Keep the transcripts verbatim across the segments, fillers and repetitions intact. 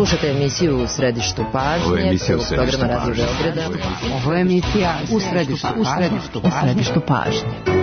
Slušate emisiju U središtu pažnje, prvog programa Radio Beograda. Ovo je emisija U središtu, u središtu, u središtu pažnje.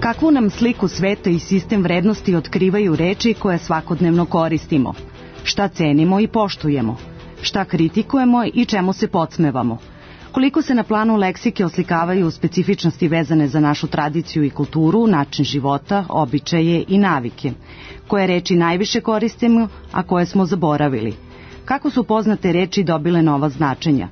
Kakvu nam sliku sveta i sistem vrednosti otkrivaju reči koje svakodnevno koristimo? Šta cenimo i poštujemo? Šta kritikujemo i čemu se podsmevamo? Koliko se na planu leksike oslikavaju specifičnosti vezane za našu tradiciju i kulturu, način života, običaje i navike? Koje reči najviše koristimo, a koje smo zaboravili? Kako su poznate reči dobile nova značenja?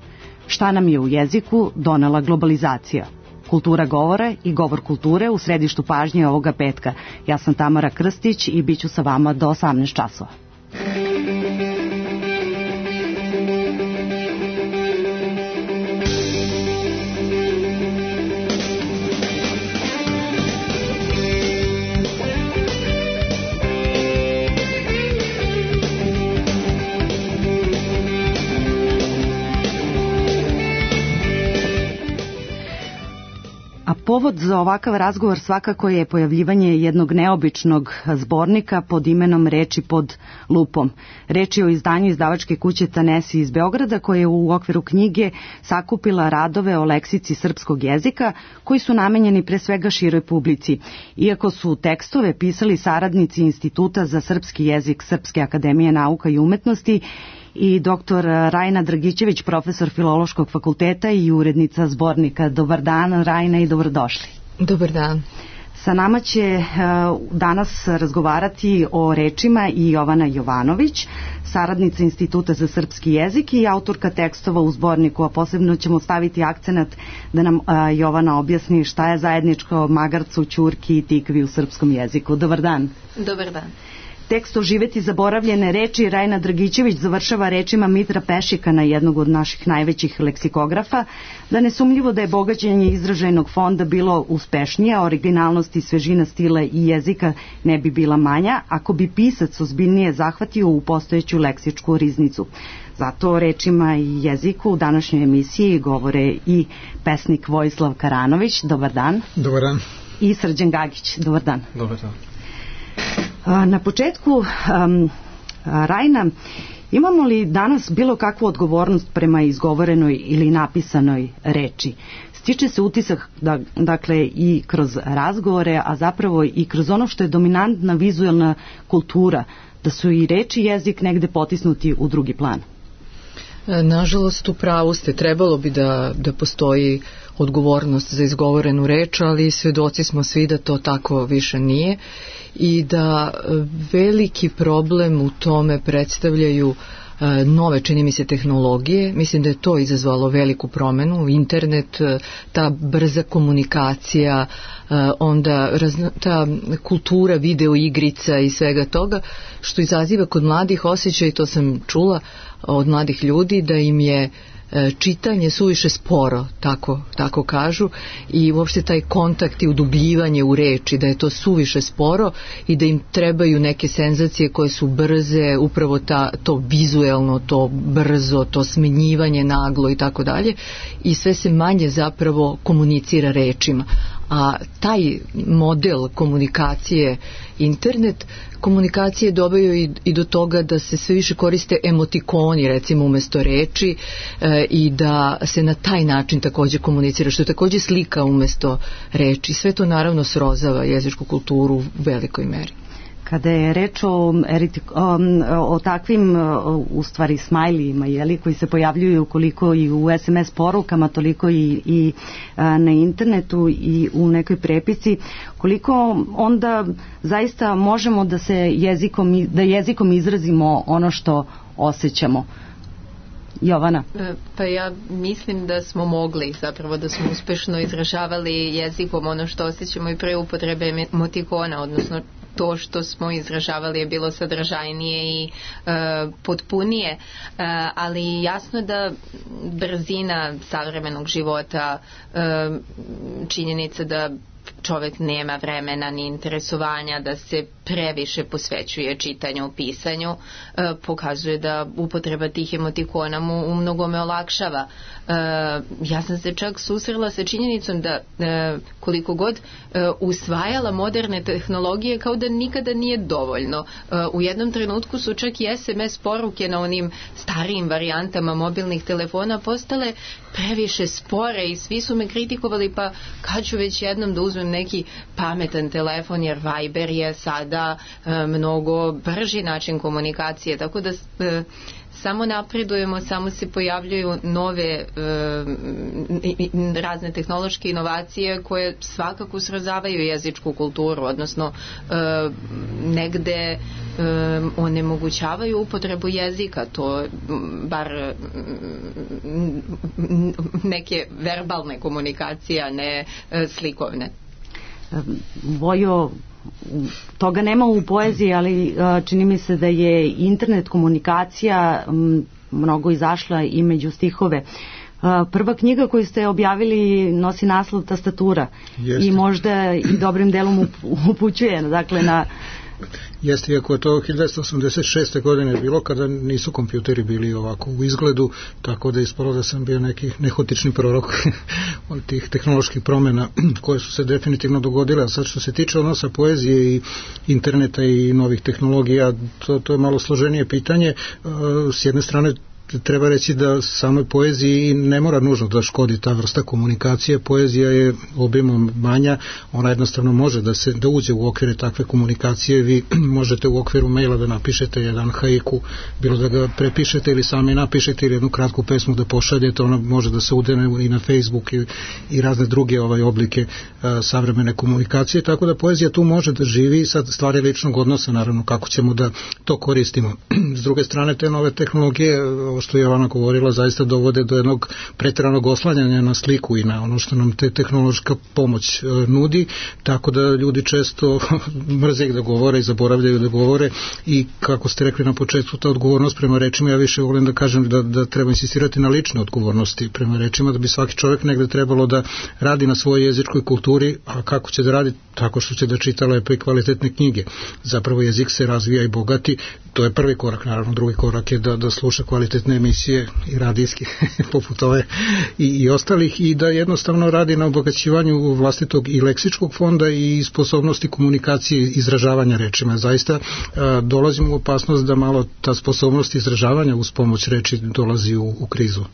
Šta nam je u jeziku donela globalizacija? Kultura govora i govor kulture u središtu pažnje ovoga petka. Ja sam Tamara Krstić i bit ću sa vama do osamnaest časova. Povod za ovakav razgovor svakako je pojavljivanje jednog neobičnog zbornika pod imenom Reči pod lupom. Reč je o izdanju izdavačke kuće Tanesi iz Beograda, koja je u okviru knjige sakupila radove o leksici srpskog jezika koji su namenjeni pre svega široj publici. Iako su tekstove pisali saradnici Instituta za srpski jezik Srpske akademije nauka i umetnosti i doktor Rajna Dragićević, profesor Filološkog fakulteta i urednica zbornika. Dobar dan, Rajna, i dobrodošli. Dobar dan. Sa nama će uh, danas razgovarati o rečima i Jovana Jovanović, saradnica Instituta za srpski jezik i autorka tekstova u zborniku, a posebno ćemo staviti akcenat da nam uh, Jovana objasni šta je zajedničko magarcu, ćurki i tikvi u srpskom jeziku. Dobar dan. Dobar dan. Tekst Oživeti zaboravljene reči Rajna Dragićević završava rečima Mitra Pešikana, jednog od naših najvećih leksikografa, da nesumljivo da je bogaćenje izražajnog fonda bilo uspešnije, a originalnost i svežina stila i jezika ne bi bila manja ako bi pisac ozbiljnije zahvatio u postojeću leksičku riznicu. Zato rečima i jeziku u današnjoj emisiji govore i pesnik Vojislav Karanović. Dobar dan. Dobar dan. I Srđan Gagić. Dobar dan. Dobar dan. Na početku, um, Rajna, Imamo li danas bilo kakvu odgovornost prema izgovorenoj ili napisanoj reči? Stiče se utisak da, dakle, i kroz razgovore, a zapravo i kroz ono što je dominantna vizualna kultura, da su i reči i jezik negde potisnuti u drugi plan. Nažalost, u pravu ste, trebalo bi da, da postoji odgovornost za izgovorenu reč, ali svedoci smo svi da to tako više nije i da veliki problem u tome predstavljaju nove, čini mi se, tehnologije. Mislim da je to izazvalo veliku promenu. Internet, ta brza komunikacija, onda razna, ta kultura video igrica i svega toga, što izaziva kod mladih osjećaj, to sam čula od mladih ljudi, da im je čitanje suviše sporo, tako, tako kažu, i uopšte taj kontakt i udubljivanje u reči, da je to suviše sporo i da im trebaju neke senzacije koje su brze, upravo ta, to vizuelno, to brzo, to smenjivanje naglo i tako dalje, i sve se manje zapravo komunicira rečima. A taj model komunikacije, internet komunikacije, dobaju i, i do toga da se sve više koriste emotikoni, recimo, umesto reči, e, i da se na taj način takođe komunicira, što je takođe slika umesto reči. Sve to naravno srozava jezičku kulturu u velikoj meri. Kada je reč o, o, o takvim, u stvari, smajlijima, jeli, koji se pojavljuju koliko i u es em es porukama, toliko i, i na internetu i u nekoj prepici, koliko onda zaista možemo da se jezikom, da jezikom izrazimo ono što osjećamo? Jovana? Pa ja mislim da smo mogli, zapravo da smo uspešno izražavali jezikom ono što osjećamo i pre upotrebe emotikona, odnosno to što smo izražavali je bilo sadržajnije i e, potpunije, e, ali jasno da brzina savremenog života, e, činjenica da čovek nema vremena ni interesovanja, da se previše posvećuje čitanju, pisanju, e, pokazuje da upotreba tih emotikona mu u mnogome olakšava. E, ja sam se čak susrela sa činjenicom da e, koliko god e, usvajala moderne tehnologije, kao da nikada nije dovoljno. E, u jednom trenutku su čak i es em es poruke na onim starijim varijantama mobilnih telefona postale previše spore i svi su me kritikovali, pa kad ću već jednom da uzmem neki pametan telefon, jer Viber je sada e, mnogo brži način komunikacije, tako da e, samo napredujemo, samo se pojavljuju nove e, razne tehnološke inovacije koje svakako srozavaju jezičku kulturu, odnosno e, negde e, onemogućavaju upotrebu jezika, to bar neke verbalne komunikacije, a ne e, slikovne. Vojo, toga nema u poeziji, ali čini mi se da je internet komunikacija mnogo izašla i među stihove. Prva knjiga koju ste objavili nosi naslov Tastatura. Jeste. I možda i dobrim delom upućuje, dakle, na... Jeste, iako je to hiljadu devetsto osamdeset šeste godine bilo, kada nisu kompjuteri bili ovako u izgledu, tako da je ispalo da sam bio neki nehotični prorok od tih tehnoloških promjena koje su se definitivno dogodile. A sad što se tiče odnosa poezije i interneta i novih tehnologija, to, to je malo složenije pitanje. S jedne strane, treba reći da samoj poeziji ne mora nužno da škodi ta vrsta komunikacije. Poezija je obimom manja, ona jednostavno može da se da uđe u okvire takve komunikacije. Vi možete u okviru maila da napišete jedan haiku, bilo da ga prepišete ili sami napišete, ili jednu kratku pesmu da pošaljete, ona može da se udene i na Facebook i, i razne druge ovaj oblike a, savremene komunikacije, tako da poezija tu može da živi. Sad stvari ličnog odnosa, naravno, kako ćemo da to koristimo. S druge strane, te nove tehnologije, što je Jovana govorila, zaista dovode do jednog pretjeranog oslanjanja na sliku i na ono što nam te tehnološka pomoć e, nudi, tako da ljudi često mrze da govore i zaboravljaju da govore. I kako ste rekli na početku, ta odgovornost prema rečima, ja više volim da kažem da, da treba insistirati na lične odgovornosti prema rečima, da bi svaki čovjek negde trebalo da radi na svojoj jezičkoj kulturi. A kako će da radi? Tako što će da čita lepe i kvalitetne knjige. Zapravo jezik se razvija i bogati, to je prvi korak. Naravno, drugi korak je da, da sluša kvalitetne kvalitetne emisije i radijske poput ove i, i ostalih i da jednostavno radi na obogaćivanju vlastitog i leksičkog fonda i sposobnosti komunikacije i izražavanja rečima. Zaista a, dolazimo u opasnost da malo ta sposobnost izražavanja uz pomoć reči dolazi u, u krizu.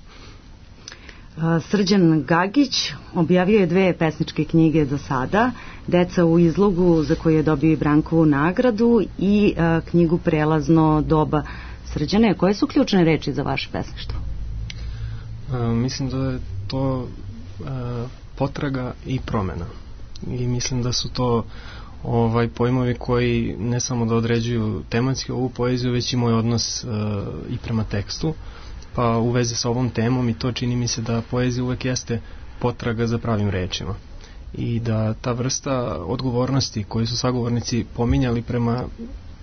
Srđan Gagić objavio je dve pesničke knjige do sada, Deca u izlogu za koju je dobio Brankovu nagradu i a, knjigu Prelazno doba. Srđane, koje su ključne reči za vaše pesništvo? A, mislim da je to a, potraga i promena i mislim da su to ovaj pojmovi koji ne samo da određuju tematski ovu poeziju, već i moj odnos a, i prema tekstu. Pa u vezi sa ovom temom i to čini mi se da poezija uvek jeste potraga za pravim rečima i da ta vrsta odgovornosti koju su sagovornici pominjali prema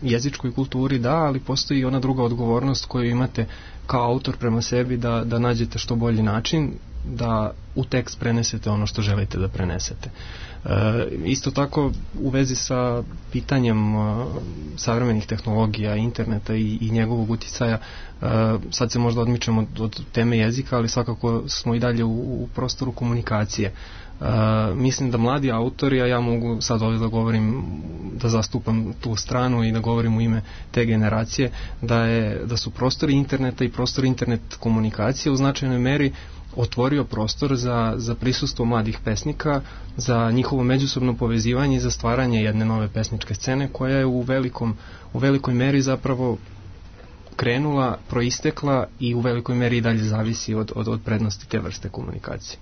jezičkoj kulturi, da, ali postoji i ona druga odgovornost koju imate kao autor prema sebi da, da nađete što bolji način da u tekst prenesete ono što želite da prenesete. E, isto tako u vezi sa pitanjem uh, savremenih tehnologija, interneta i, i njegovog uticaja, uh, sad se možda odmičemo od, od teme jezika, ali svakako smo i dalje u, u prostoru komunikacije. Uh, mislim da mladi autori, a ja mogu sad ovdje da govorim, da zastupam tu stranu i da govorim u ime te generacije, da, je, da su prostori interneta i prostori internet komunikacije u značajnoj meri otvorio prostor za, za prisustvo mladih pesnika, za njihovo međusobno povezivanje i za stvaranje jedne nove pesničke scene koja je u, velikom, u velikoj meri zapravo krenula, proistekla i u velikoj meri i dalje zavisi od, od, od prednosti te vrste komunikacije.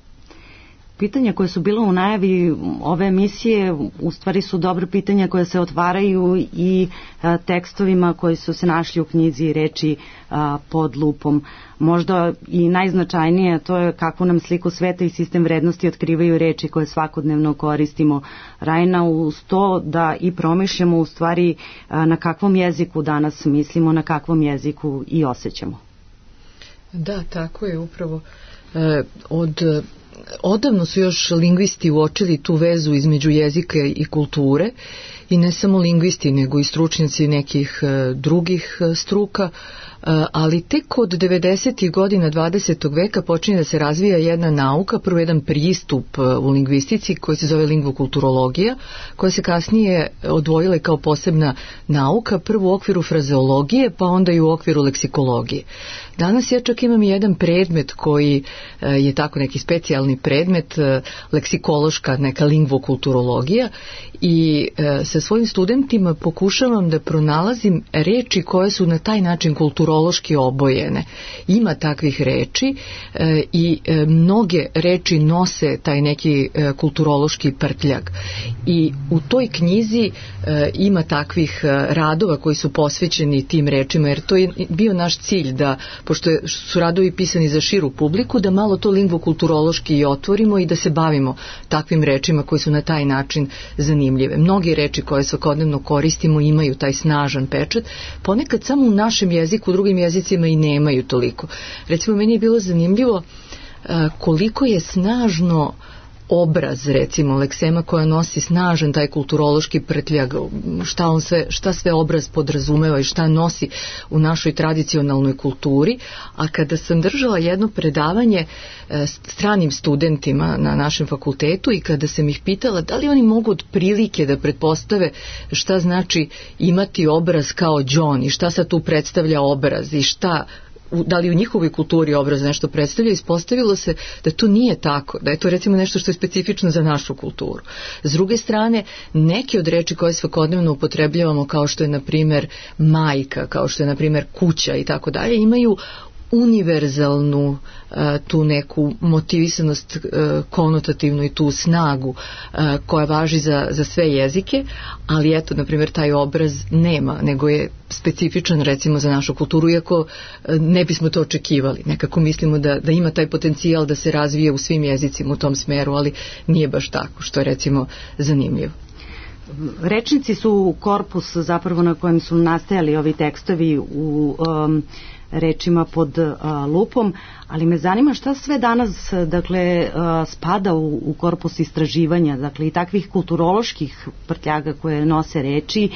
Pitanja koje su bila u najavi ove emisije u stvari su dobro pitanja koje se otvaraju i a, tekstovima koji su se našli u knjizi Reči a, pod lupom. Možda i najznačajnije to je kakvu nam sliku sveta i sistem vrednosti otkrivaju reči koje svakodnevno koristimo. Rajna, uz to da i promišljamo u stvari a, na kakvom jeziku danas mislimo, na kakvom jeziku i osjećamo. Da, tako je upravo. E, od Odavno su još lingvisti uočili tu vezu između jezika i kulture i ne samo lingvisti nego i stručnjaci nekih e, drugih e, struka, e, ali tek od devedesetih godina dvadesetog veka počinje da se razvija jedna nauka, prvo jedan pristup e, u lingvistici koji se zove lingvokulturologija, koja se kasnije odvojila kao posebna nauka, prvo u okviru frazeologije pa onda i u okviru leksikologije. Danas ja čak imam jedan predmet koji e, je tako neki specijalni predmet, e, leksikološka neka lingvokulturologija i e, sa svojim studentima pokušavam da pronalazim reči koje su na taj način kulturološki obojene. Ima takvih reči e, i e, mnoge reči nose taj neki e, kulturološki prtljag. I u toj knjizi e, ima takvih e, radova koji su posvećeni tim rečima, jer to je bio naš cilj da, pošto su radovi pisani za širu publiku, da malo to lingvokulturološki i otvorimo i da se bavimo takvim rečima koji su na taj način zanimljive. Mnogi reči koje svakodnevno koristimo imaju taj snažan pečat, ponekad samo u našem jeziku, u drugim jezicima i nemaju toliko. Recimo, meni je bilo zanimljivo koliko je snažno obraz, recimo, leksema koja nosi snažan taj kulturološki prtljag, šta, on sve, šta sve obraz podrazumeva i šta nosi u našoj tradicionalnoj kulturi, a kada sam držala jedno predavanje e, stranim studentima na našem fakultetu i kada sam ih pitala da li oni mogu od prilike da pretpostave šta znači imati obraz kao John i šta sad tu predstavlja obraz i šta da li u njihovoj kulturi obraz nešto predstavlja, ispostavilo se da to nije tako, da je to recimo nešto što je specifično za našu kulturu. S druge strane, neke od reči koje svakodnevno upotrebljavamo, kao što je na primjer majka, kao što je na primjer kuća i tako dalje, imaju univerzalnu uh, tu neku motivisanost uh, konotativnu i tu snagu uh, koja važi za, za sve jezike, ali eto, na primjer, taj obraz nema, nego je specifičan recimo za našu kulturu, iako uh, ne bismo to očekivali. Nekako mislimo da, da ima taj potencijal da se razvije u svim jezicima u tom smeru, ali nije baš tako, što je recimo zanimljivo. Rečnici su korpus zapravo na kojem su nastajali ovi tekstovi u um, rečima pod a, lupom, ali me zanima šta sve danas dakle a, spada u, u korpus istraživanja, dakle i takvih kulturoloških prtljaga koje nose reči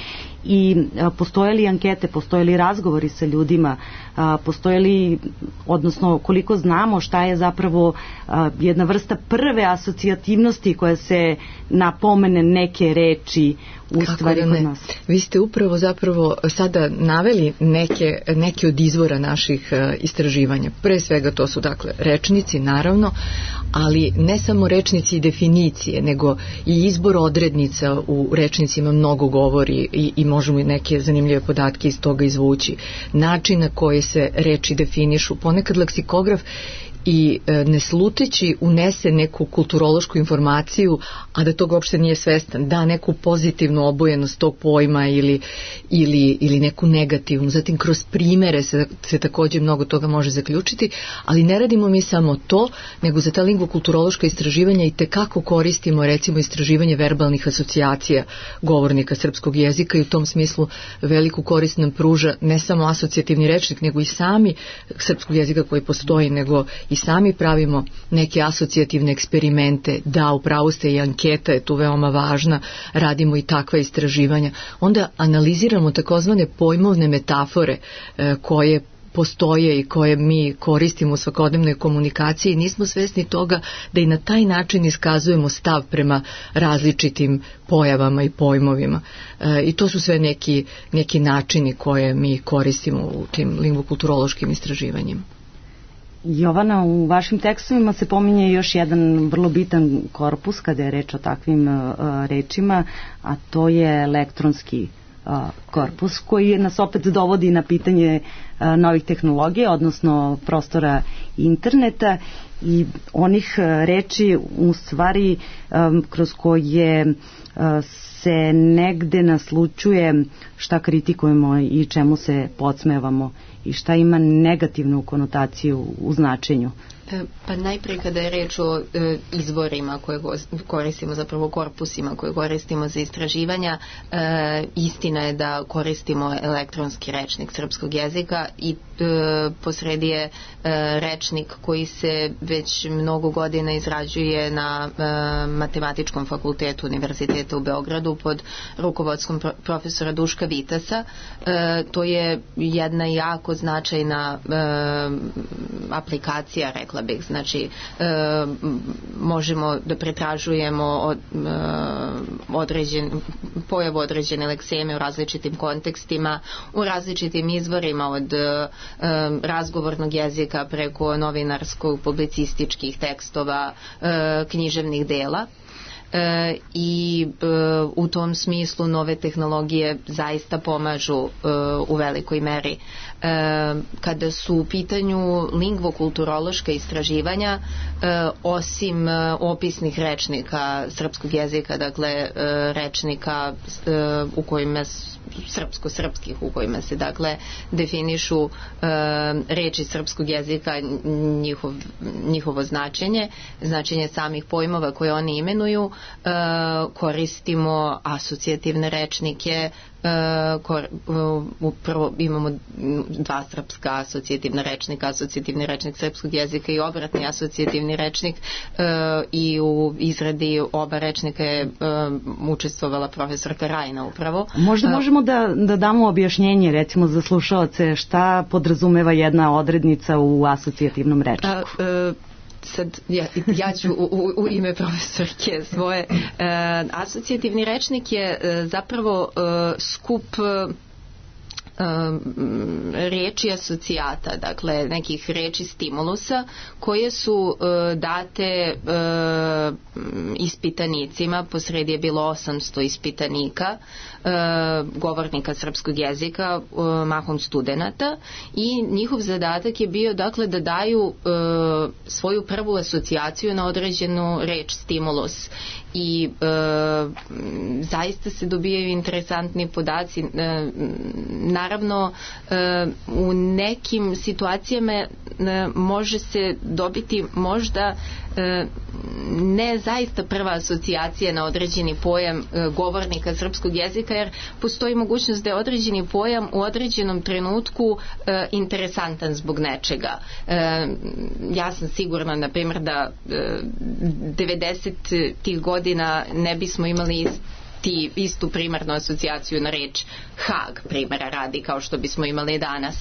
i a, postoje li ankete, postoje li razgovori sa ljudima, a, postoje li, odnosno koliko znamo šta je zapravo a, jedna vrsta prve asocijativnosti koja se napomene neke reči u Kako stvari da kod nas. Vi ste upravo zapravo sada naveli neke, neke od izvora naših uh, istraživanja. Pre svega to su dakle rečnici, naravno, ali ne samo rečnici i definicije, nego i izbor odrednica u rečnicima mnogo govori i, i možemo i neke zanimljive podatke iz toga izvući. Način na koji se reči definišu, ponekad leksikograf i e, ne sluteći unese neku kulturološku informaciju, a da toga uopšte nije svestan, da neku pozitivnu obojenost tog pojma ili, ili, ili neku negativnu. Zatim kroz primere se, se takođe mnogo toga može zaključiti, ali ne radimo mi samo to, nego za ta lingvokulturološka istraživanja i tekako koristimo recimo istraživanje verbalnih asocijacija govornika srpskog jezika i u tom smislu veliku korist nam pruža ne samo asocijativni rečnik, nego i sami srpskog jezika koji postoji, nego i sami pravimo neke asocijativne eksperimente, da, upravo ste, i anketa je tu veoma važna, radimo i takva istraživanja. Onda analiziramo takozvane pojmovne metafore e, koje postoje i koje mi koristimo u svakodnevnoj komunikaciji i nismo svesni toga da i na taj način iskazujemo stav prema različitim pojavama i pojmovima. E, I to su sve neki, neki načini koje mi koristimo u tim lingvokulturološkim istraživanjima. Jovana, u vašim tekstovima se pominje još jedan vrlo bitan korpus kada je reč o takvim uh, rečima, a to je elektronski uh, korpus koji nas opet dovodi na pitanje uh, novih tehnologija, odnosno prostora interneta i onih uh, reči u stvari um, kroz koje uh, se negde naslučuje šta kritikujemo i čemu se podsmevamo i šta ima negativnu konotaciju u značenju. Pa najprije kada je reč o e, izvorima koje koristimo, zapravo korpusima koje koristimo za istraživanja, e, istina je da koristimo elektronski rečnik srpskog jezika i e, posredi je e, rečnik koji se već mnogo godina izrađuje na e, Matematičkom fakultetu Univerziteta u Beogradu pod rukovodstvom pro, profesora Duška Vitasa. E, to je jedna jako značajna e, aplikacija, rekla bih, znači e, možemo da pretražujemo od, e, određen, pojavu određene lekseme u različitim kontekstima, u različitim izvorima od e, razgovornog jezika preko novinarskog, publicističkih tekstova, e, književnih dela. E, i e, u tom smislu nove tehnologije zaista pomažu e, u velikoj meri. E, kada su u pitanju lingvokulturološka istraživanja, e, osim e, opisnih rečnika srpskog jezika, dakle e, rečnika e, u kojima srpsko-srpskih u kojima se dakle definišu e, reči srpskog jezika, njihov, njihovo značenje, značenje samih pojmova koje oni imenuju, e, koristimo asocijativne rečnike. E, kor, upravo imamo dva srpska asocijativna rečnika, asocijativni rečnik srpskog jezika i obratni asocijativni rečnik, e, i u izradi oba rečnika je e, učestvovala profesorka Rajna upravo. Možda možemo da, da damo objašnjenje recimo za slušaoce šta podrazumeva jedna odrednica u asocijativnom rečniku. A, e, sad ja, ja ću u, u, u ime profesorke svoje. E, asocijativni rečnik je e, zapravo e, skup e, reči asocijata, dakle nekih reči stimulusa koje su e, date e, ispitanicima, posredi je bilo osamsto ispitanika, e, govornika srpskog jezika, e, mahom studenata, i njihov zadatak je bio dakle da daju e, svoju prvu asocijaciju na određenu reč, stimulus, i e, zaista se dobijaju interesantni podaci. E, naravno e, u nekim situacijama e, može se dobiti možda e, ne zaista prva asocijacija na određeni pojam e, govornika srpskog jezika, jer postoji mogućnost da je određeni pojam u određenom trenutku e, interesantan zbog nečega. E, ja sam sigurna, na primjer, da e, devedesetih godina ne bismo imali ti istu primarnu asocijaciju na reč Hag, primjera radi, kao što bismo imali danas.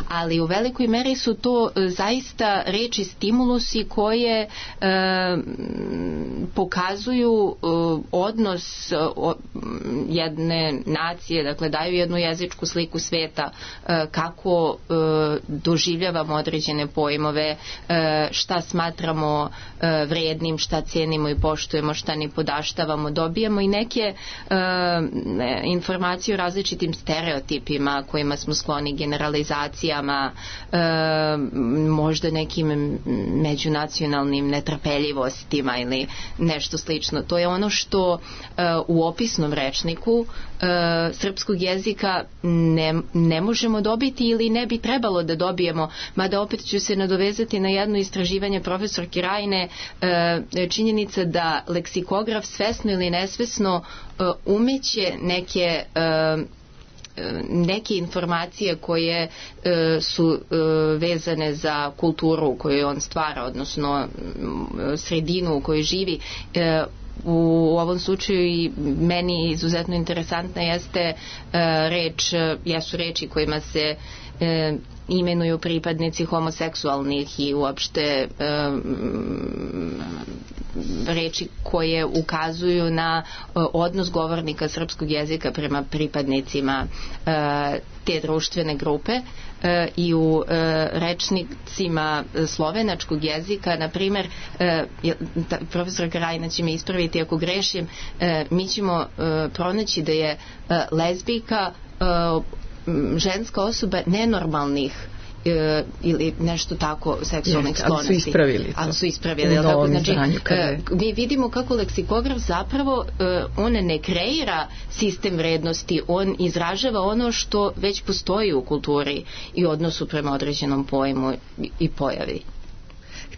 Ali u velikoj meri su to e, zaista reči stimulusi koje e, pokazuju e, odnos e, o, jedne nacije, dakle daju jednu jezičku sliku sveta, e, kako e, doživljavamo određene pojmove, e, šta smatramo e, vrednim, šta cenimo i poštujemo, šta ni podaštavamo. Dobijamo i neke e, informacije o različitim stereotipima kojima smo skloni, generalizacijama, e, možda nekim međunacionalnim netrpeljivostima ili nešto slično. To je ono što e, u opisnom rečniku e, srpskog jezika ne, ne možemo dobiti ili ne bi trebalo da dobijemo, mada opet ću se nadovezati na jedno istraživanje profesorke Rajne, e, činjenica da leksikograf svesno ili nesvesno e, umeće neke e, neke informacije koje e, su e, vezane za kulturu koju on stvara, odnosno sredinu u kojoj živi. E, u ovom slučaju i meni izuzetno interesantna jeste e, reč, jesu reči kojima se e, imenuju pripadnici homoseksualnih i uopšte um, reči koje ukazuju na uh, odnos govornika srpskog jezika prema pripadnicima uh, te društvene grupe. Uh, i u uh, rečnicima slovenačkog jezika, na primjer, uh, profesor Krajina će me ispraviti ako grešim, uh, mi ćemo uh, pronaći da je uh, lezbijka uh, ženska osoba nenormalnih e, ili nešto tako seksualnih Jeste, sklonosti. ali su ispravili to. Ali su ispravili. Tako, znači, je... mi vidimo kako leksikograf zapravo e, on ne kreira sistem vrednosti, on izražava ono što već postoji u kulturi i odnosu prema određenom pojmu i pojavi.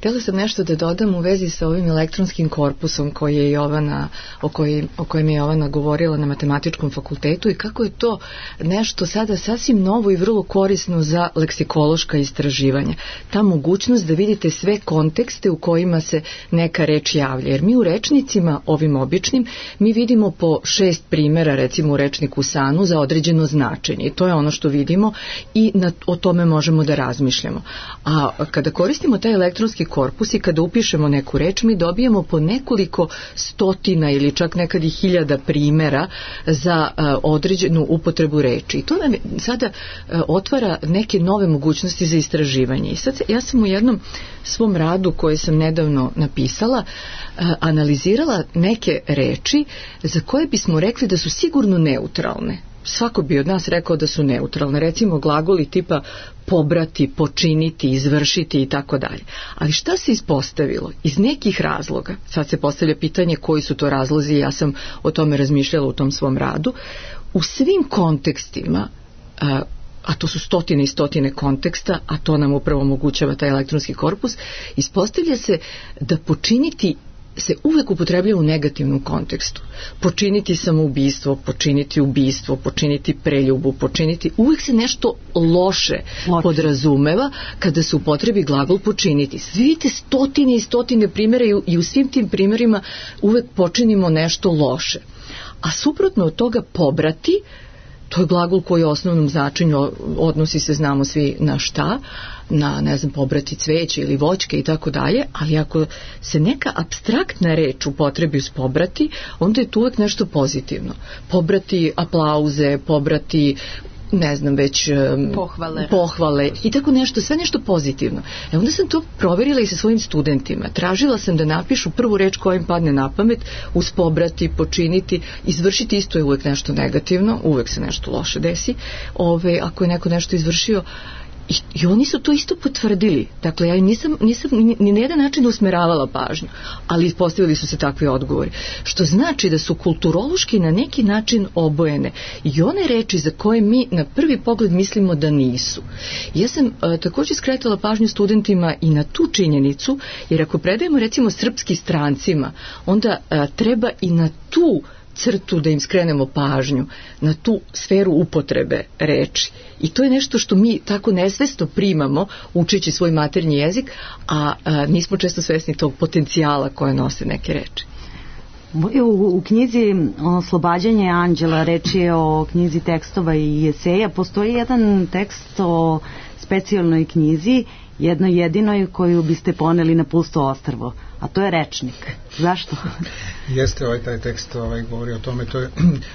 Htjela sam nešto da dodam u vezi sa ovim elektronskim korpusom koji je Jovana, o, koji, o kojem je Jovana govorila na matematičkom fakultetu i kako je to nešto sada sasvim novo i vrlo korisno za leksikološka istraživanja. Ta mogućnost da vidite sve kontekste u kojima se neka reč javlja. Jer mi u rečnicima, ovim običnim, mi vidimo po šest primjera, recimo u rečniku Sanu, za određeno značenje. I to je ono što vidimo i na, o tome možemo da razmišljamo. A kada koristimo taj elektronski korpus i kada upišemo neku reč, mi dobijemo po nekoliko stotina ili čak nekad i hiljada primjera za uh, određenu upotrebu reči. I to nam sada uh, otvara neke nove mogućnosti za istraživanje. I sad ja sam u jednom svom radu koje sam nedavno napisala uh, analizirala neke reči za koje bismo rekli da su sigurno neutralne. Svako bi od nas rekao da su neutralne. Recimo glagoli tipa pobrati, počiniti, izvršiti i tako dalje. Ali šta se ispostavilo? Iz nekih razloga, sad se postavlja pitanje koji su to razlozi, ja sam o tome razmišljala u tom svom radu, u svim kontekstima, a, a to su stotine i stotine konteksta, a to nam upravo omogućava taj elektronski korpus, ispostavlja se da počiniti se uvek upotrebljava u negativnom kontekstu. Počiniti samoubistvo, počiniti ubistvo, počiniti preljubu, počiniti, uvek se nešto loše, loše podrazumeva kada se upotrebi glagol počiniti. Vidite stotine i stotine primjera i u, i u svim tim primjerima uvek počinimo nešto loše. A suprotno od toga pobrati, to je glagol koji u osnovnom značenju odnosi se, znamo svi na šta, na, ne znam, pobrati cveće ili voćke i tako dalje, ali ako se neka apstraktna reč upotrebi uz pobrati, onda je tu uvek nešto pozitivno. Pobrati aplauze, pobrati ne znam već pohvale, pohvale i tako nešto, sve nešto pozitivno. E onda sam to proverila i sa svojim studentima. Tražila sam da napišu prvu reč koja im padne na pamet, uz pobrati, počiniti, izvršiti, isto je uvek nešto negativno, uvek se nešto loše desi. Ove, ako je neko nešto izvršio, I, i oni su to isto potvrdili. Dakle, ja nisam, nisam ni, ni na jedan način usmeravala pažnju, ali postavili su se takvi odgovori. Što znači da su kulturološki na neki način obojene i one reči za koje mi na prvi pogled mislimo da nisu. Ja sam a, također skretala pažnju studentima i na tu činjenicu, jer ako predajemo recimo srpski strancima, onda a, treba i na tu crtu da im skrenemo pažnju, na tu sferu upotrebe reči. I to je nešto što mi tako nesvesno primamo učeći svoj maternji jezik, a, a nismo često svesni tog potencijala koje nose neke reči. U, u knjizi Oslobađanje anđela, reč je o knjizi tekstova i eseja, postoji jedan tekst o specijalnoj knjizi, jednoj jedinoj koju biste poneli na pusto ostrvo, a to je rečnik. Zašto? Jeste, ovaj taj tekst ovaj, govori o tome, to je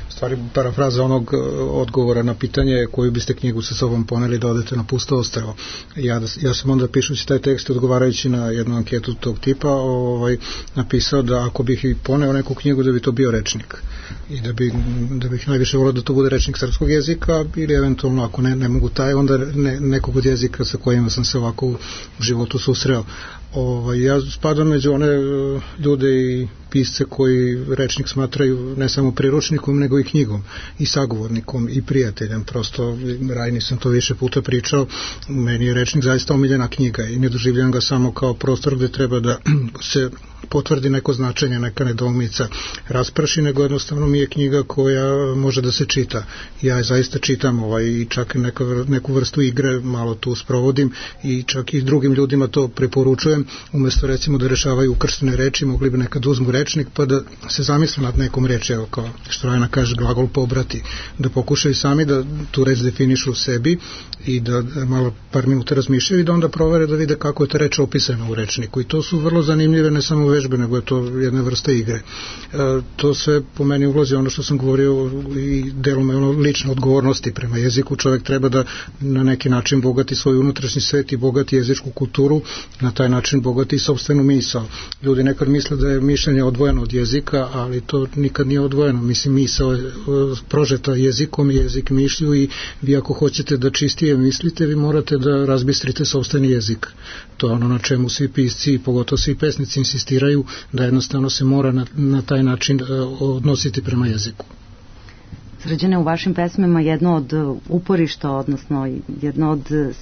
stvari parafraza onog odgovora na pitanje koju biste knjigu sa sobom poneli da odete na pusto ostrvo. Ja, ja sam onda pišući taj tekst, odgovarajući na jednu anketu tog tipa, ovaj, napisao da ako bih i poneo neku knjigu da bi to bio rečnik i da, bi, da bih najviše volio da to bude rečnik srpskog jezika ili eventualno ako ne, ne mogu taj, onda ne, nekog od jezika sa kojima sam se ovako u životu susreo. Ovaj, ja spadam među one ljude i pisce koji rečnik smatraju ne samo priručnikom nego i knjigom i sagovornikom i prijateljem. Prosto Rajni sam to više puta pričao, meni je rečnik zaista omiljena knjiga i ne doživljam ga samo kao prostor gde treba da se potvrdi neko značenje, neka nedoumica rasprši, nego jednostavno mi je knjiga koja može da se čita. Ja je zaista čitam ovaj, i čak neka, neku vrstu igre malo tu sprovodim i čak i drugim ljudima to preporučujem, umesto recimo da rešavaju ukrštene reči, mogli bi nekad uzmu rečnik pa da se zamisle nad nekom reči, evo kao što Rajna kaže, glagol pobrati, da pokušaju sami da tu reč definišu u sebi i da malo par minuta razmišljaju i da onda provere da vide kako je ta reč opisana u rečniku i to su vrlo zanimljive ne samo vežbe, nego je to jedna vrsta igre. E, to sve po meni ulazi ono što sam govorio i delom je ono lične odgovornosti prema jeziku. Čovjek treba da na neki način bogati svoj unutrašnji svet i bogati jezičku kulturu, na taj način bogati i sopstvenu misao. Ljudi nekad misle da je mišljenje odvojeno od jezika, ali to nikad nije odvojeno. Mislim, misao je prožeta jezikom i jezik mišlju i vi ako hoćete da čistije mislite, vi morate da razbistrite sopstveni jezik. To je ono na čemu svi pisci i pogotovo svi pesnici insistiraju, da jednostavno se mora na, na taj način uh, odnositi prema jeziku. Srđane, u vašim pesmama jedno od uporišta, odnosno jedno od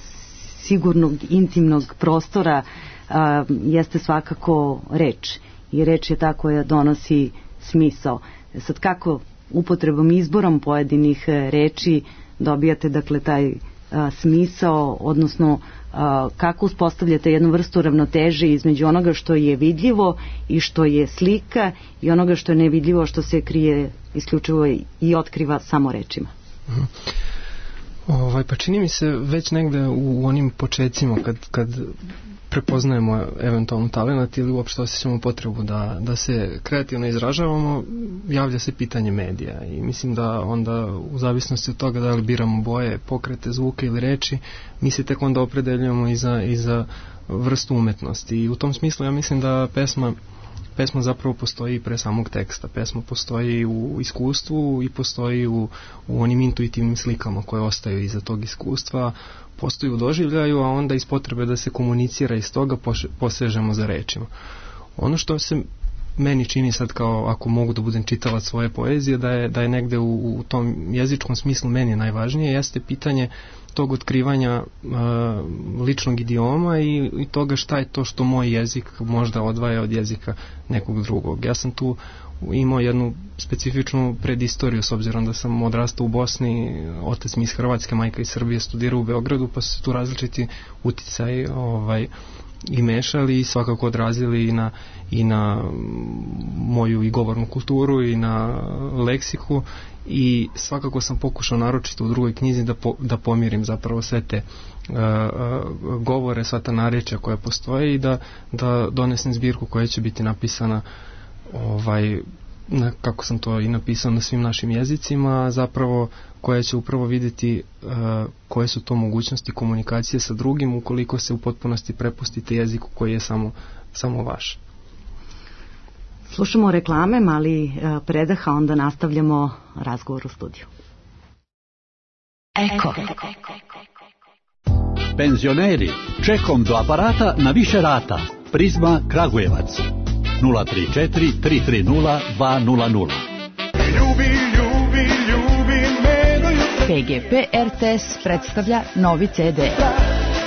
sigurnog intimnog prostora uh, jeste svakako reč. I reč je ta koja donosi smisao. Sad kako upotrebom, izborom pojedinih reči dobijate dakle taj a, smisao, odnosno a, kako uspostavljate jednu vrstu ravnoteže između onoga što je vidljivo i što je slika i onoga što je nevidljivo, što se krije isključivo i otkriva samo rečima. Mhm. Ovaj, pa čini mi se već negde u, u onim počecima kad, kad prepoznajemo eventualno talenat ili uopšte osjećamo potrebu da, da se kreativno izražavamo, javlja se pitanje medija i mislim da onda u zavisnosti od toga da li biramo boje, pokrete, zvuke ili reči, mi se tek onda opredeljujemo i za, i za vrstu umetnosti i u tom smislu ja mislim da pesma Pesma zapravo postoji pre samog teksta. Pesma postoji u iskustvu i postoji u, u onim intuitivnim slikama koje ostaju iza tog iskustva, postoji u doživljaju, a onda iz potrebe da se komunicira iz toga posežemo za rečima. Ono što se meni čini sad kao, ako mogu da budem čitalac svoje poezije, da je, da je negde u, u tom jezičkom smislu meni najvažnije, jeste pitanje tog otkrivanja uh, ličnog idioma i, i toga šta je to što moj jezik možda odvaja od jezika nekog drugog. Ja sam tu imao jednu specifičnu predistoriju s obzirom da sam odrastao u Bosni, otac mi iz Hrvatske, majka iz Srbije, studirao u Beogradu, pa su tu različiti uticaj ovaj, i mešali i svakako odrazili i na, i na moju i govornu kulturu i na leksiku i svakako sam pokušao naročito u drugoj knjizi da, po, da pomirim zapravo sve te uh, uh, govore, sva ta narečja koja postoje i da, da donesem zbirku koja će biti napisana ovaj, na, kako sam to i napisao na svim našim jezicima, zapravo koja će upravo vidjeti uh, koje su to mogućnosti komunikacije sa drugim ukoliko se u potpunosti prepustite jeziku koji je samo, samo vaš. Slušamo reklame, mali uh, predah, a onda nastavljamo razgovor u studiju. Eko. Eko. Penzioneri, čekom do aparata na više rata. Prizma Kragujevac. nula tri četiri tri tri nula dva nula nula. Ljubi, ljubi, ljubi me do jutra. P G P R T S predstavlja novi C D.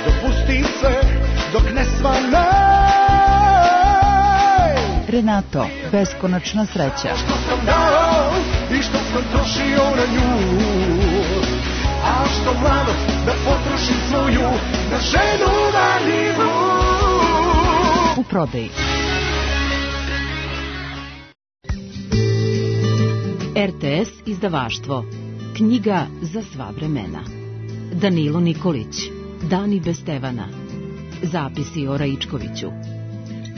Dopusti se dok ne svanaj. Renato, beskonačna sreća. Što sam dao i što sam trošio na nju. A što mlado da potrošim svoju na ženu marljivu. U prodaji. R T S izdavaštvo. Knjiga za sva vremena. Danilo Nikolić. Dani bez Stevana. Zapisi o Raičkoviću.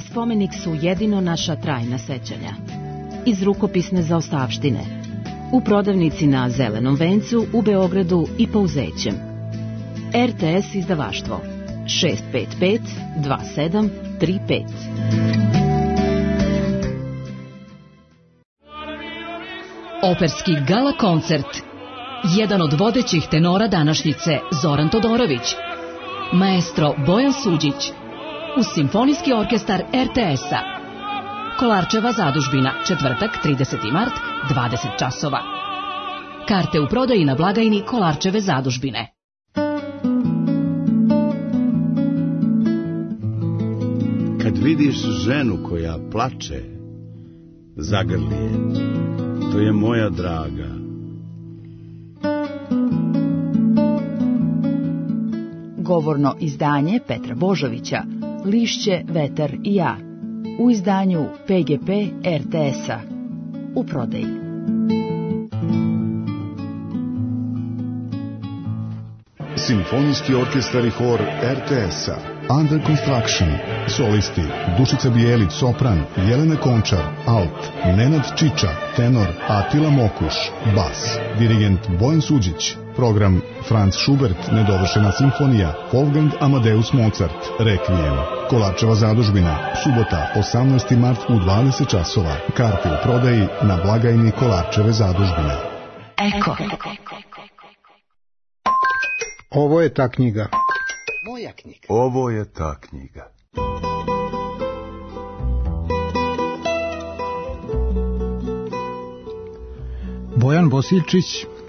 Spomenik su jedino naša trajna sećanja. Iz rukopisne zaostavštine. U prodavnici na Zelenom vencu u Beogradu i Pouzećem. R T S izdavaštvo. šest pet pet dva sedam tri pet. Operski gala koncert. Jedan od vodećih tenora današnjice, Zoran Todorović. Maestro Bojan Suđić. Uz Simfonijski orkestar R T S-a. Kolarčeva zadužbina, četvrtak, trideseti mart, dvadeset časova. Karte u prodaji na blagajni Kolarčeve zadužbine. Kad vidiš ženu koja plače, zagrli je. To je moja draga. Govorno izdanje Petra Božovića, Lišće, vetar i ja. U izdanju P G P R T S-a. U prodaji. Simfonijski orkestar i hor R T S-a. Under Construction. Solisti Dušica Bijelić, sopran, Jelena Končar, alt, Nenad Čiča, tenor, Atila Mokuš, bas, dirigent Bojan Suđić. Program Franz Schubert, nedovršena simfonija, Wolfgang Amadeus Mozart, Requiem. Kolarčeva zadužbina, subota, osamnaesti mart u dvadeset časova. Karte u prodaji na blagajni Kolarčeve zadužbine. Eko. Ovo je ta knjiga. Moja knjiga. Ovo je ta knjiga. Bojan Bosiljčić,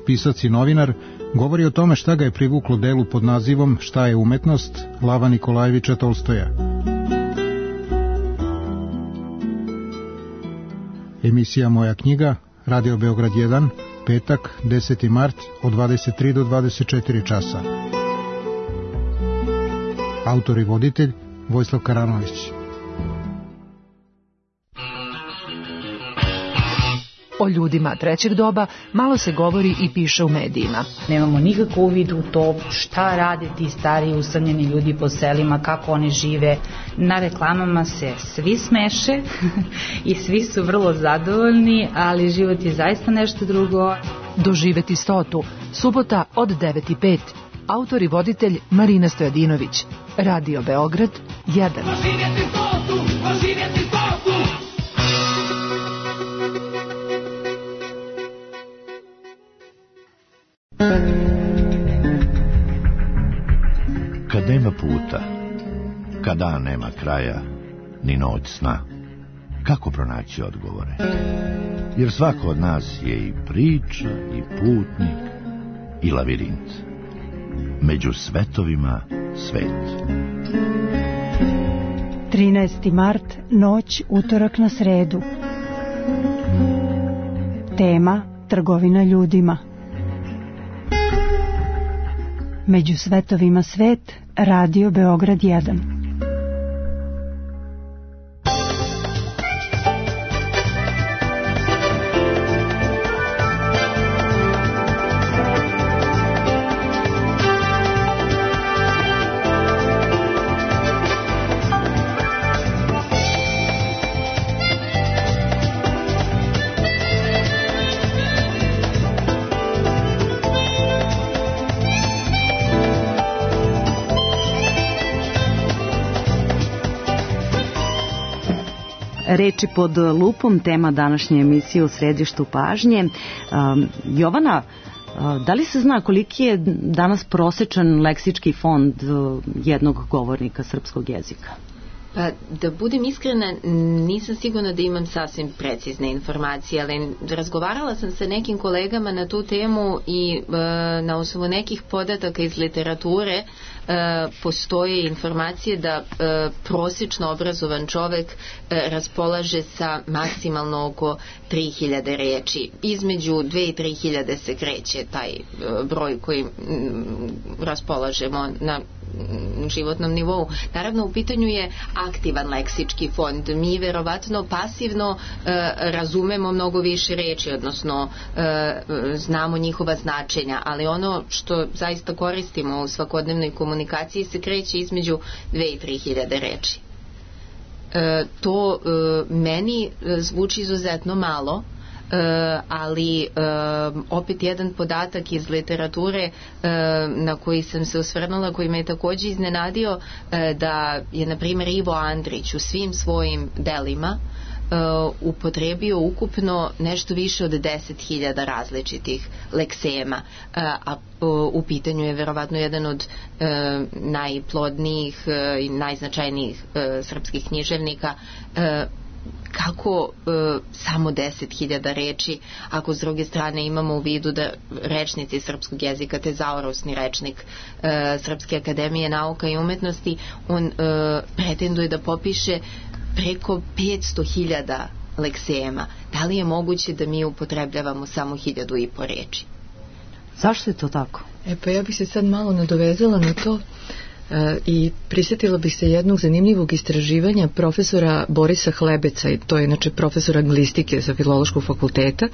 pisac i novinar, govori o tome šta ga je privuklo delu pod nazivom Šta je umetnost Lava Nikolajevića Tolstoja. Emisija Moja knjiga, Radio Beograd jedan, petak, deseti mart, od dvadeset tri do dvadeset četiri časa. Autor i voditelj Vojislav Karanović. O ljudima trećeg doba malo se govori i piše u medijima. Nemamo nikakvu uvid u to šta rade ti stari usamljeni ljudi po selima, kako oni žive. Na reklamama se svi smeše i svi su vrlo zadovoljni, ali život je zaista nešto drugo. Doživeti stotu, subota od devet i pet. Autor i voditelj Marina Stojadinović. Radio Beograd jedan. Doživjeti stotu, doživjeti stotu. Kad nema puta, kad dan nema kraja, ni noć sna, kako pronaći odgovore? Jer svako od nas je i priča, i putnik, i lavirint. Među svetovima svet. trinaesti mart, noć, utorak na sredu. Tema: trgovina ljudima. Među svetovima svet, Radio Beograd jedan. Reči pod lupom, tema današnje emisije u središtu pažnje. Um, Jovana, Da li se zna koliki je danas prosečan leksički fond jednog govornika srpskog jezika? Pa, da budem iskrena, nisam sigurna da imam sasvim precizne informacije, ali razgovarala sam sa nekim kolegama na tu temu i e, na osnovu nekih podataka iz literature e, postoje informacije da e, prosječno obrazovan čovek e, raspolaže sa maksimalno oko tri hiljade reči. Između dve i tri hiljade se kreće taj e, broj koji m, raspolažemo na životnom nivou. Naravno, u pitanju je aktivan leksički fond. Mi verovatno pasivno e, razumemo mnogo više reči, odnosno e, znamo njihova značenja, ali ono što zaista koristimo u svakodnevnoj komunikaciji se kreće između dve i tri hiljade reči. E, to e, meni zvuči izuzetno malo, Uh, ali uh, opet jedan podatak iz literature uh, na koji sam se osvrnula, koji me je takođe iznenadio, uh, da je na primjer Ivo Andrić u svim svojim delima uh, upotrebio ukupno nešto više od deset hiljada različitih leksema, uh, a uh, u pitanju je verovatno jedan od uh, najplodnijih uh, i najznačajnijih uh, srpskih književnika. uh, kako e, samo deset hiljada reči, ako s druge strane imamo u vidu da rečnici srpskog jezika, tezaurosni rečnik e, Srpske akademije nauka i umetnosti, on e, pretenduje da popiše preko petsto hiljada leksema. Da li je moguće da mi upotrebljavamo samo hiljadu i po reči? Zašto je to tako? E pa ja bih se sad malo nadovezala na to i prisjetila bih se jednog zanimljivog istraživanja profesora Borisa Hlebeca, i to je inače profesor anglistike sa Filološkog fakulteta,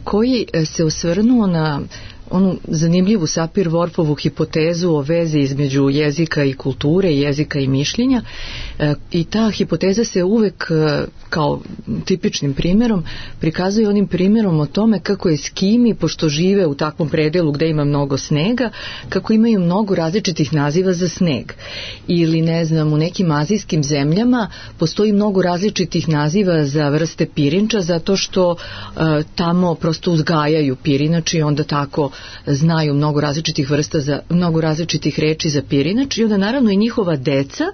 koji se osvrnuo na onu zanimljivu Sapir-Whorfovu hipotezu o vezi između jezika i kulture, jezika i mišljenja, i ta hipoteza se uvek kao tipičnim primjerom prikazuje onim primjerom o tome kako Eskimi, pošto žive u takvom predelu gde ima mnogo snega, kako imaju mnogo različitih naziva za sneg. Ili, ne znam, u nekim azijskim zemljama postoji mnogo različitih naziva za vrste pirinča, zato što uh, tamo prosto uzgajaju pirinač i onda tako znaju mnogo različitih vrsta za, mnogo različitih reči za pirinač, i onda naravno i njihova deca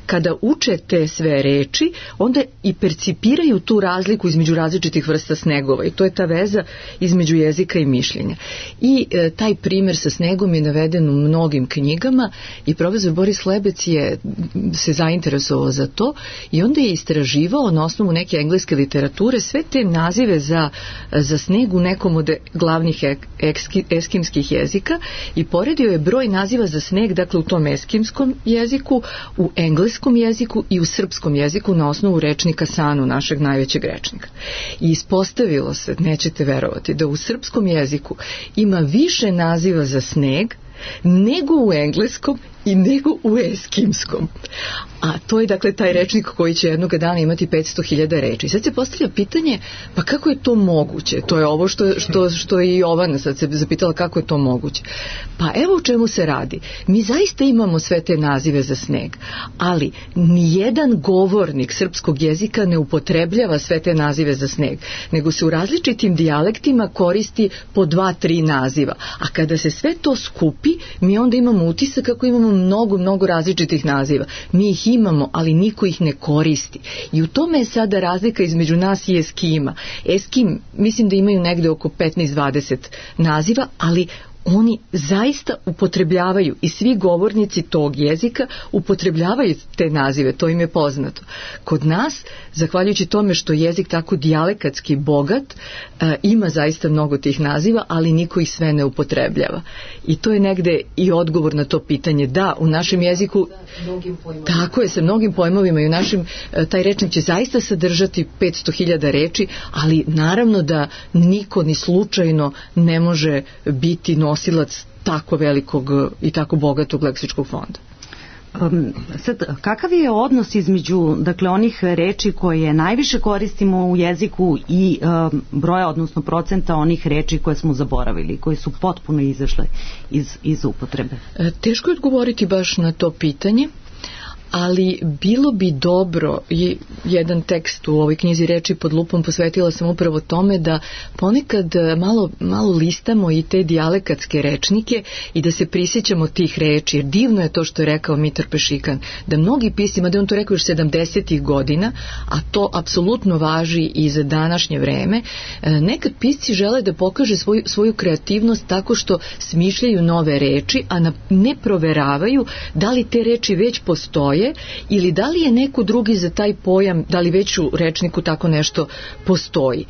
kada uče te sve reči, onda i percipiraju tu razliku između različitih vrsta snegova, i to je ta veza između jezika i mišljenja. I e, taj primjer sa snegom je naveden u mnogim knjigama i profesor Boris Hlebec je se zainteresovao za to i onda je istraživao na osnovu neke engleske literature sve te nazive za, za sneg u nekom od glavnih ekski, eskimskih jezika i poredio je broj naziva za sneg, dakle u tom eskimskom jeziku, u engleskom jeziku i u srpskom jeziku na osnovu rečnika Sanu, našeg najvećeg rečnika. I ispostavilo se, nećete verovati, da u srpskom jeziku ima više naziva za sneg nego u engleskom i nego u eskimskom. A to je dakle taj rečnik koji će jednog dana imati petsto hiljada reči. Sad se postavlja pitanje, pa kako je to moguće? To je ovo što, što, što je i Jovana sad se zapitala, kako je to moguće. Pa evo u čemu se radi. Mi zaista imamo sve te nazive za sneg, ali nijedan govornik srpskog jezika ne upotrebljava sve te nazive za sneg, nego se u različitim dijalektima koristi po dva, tri naziva. A kada se sve to skupi, mi onda imamo utisak kako imamo mnogo, mnogo različitih naziva. Mi ih imamo, ali niko ih ne koristi. I u tome je sada razlika između nas i Eskima. Eskim, mislim da imaju negde oko petnaest dvadeset naziva, ali oni zaista upotrebljavaju, i svi govornici tog jezika upotrebljavaju te nazive, to im je poznato. Kod nas, zahvaljujući tome što je jezik tako dijalekatski bogat, e, ima zaista mnogo tih naziva, ali niko ih sve ne upotrebljava. I to je negde i odgovor na to pitanje. Da, u našem jeziku, tako je, sa mnogim pojmovima, i u našem, e, taj rečnik će zaista sadržati petsto hiljada reči, ali naravno da niko ni slučajno ne može biti nosilac tako velikog i tako bogatog leksičkog fonda. Um, sad, kakav je odnos između, dakle, onih reči koje najviše koristimo u jeziku i um, broja, odnosno procenta onih reči koje smo zaboravili, koje su potpuno izašle iz, iz upotrebe? E, teško je odgovoriti baš na to pitanje, ali bilo bi dobro, i jedan tekst u ovoj knjizi Reči pod lupom posvetila sam upravo tome da ponekad malo, malo listamo i te dijalekatske rečnike i da se prisjećamo tih reči, jer divno je to što je rekao Mitar Pešikan, da mnogi pisci, mada je on to rekao još sedamdesetih godina, a to apsolutno važi i za današnje vreme, nekad pisci žele da pokaže svoju, svoju kreativnost tako što smišljaju nove reči, a na, ne proveravaju da li te reči već postoje ili da li je neko drugi za taj pojam, da li već u rečniku tako nešto postoji.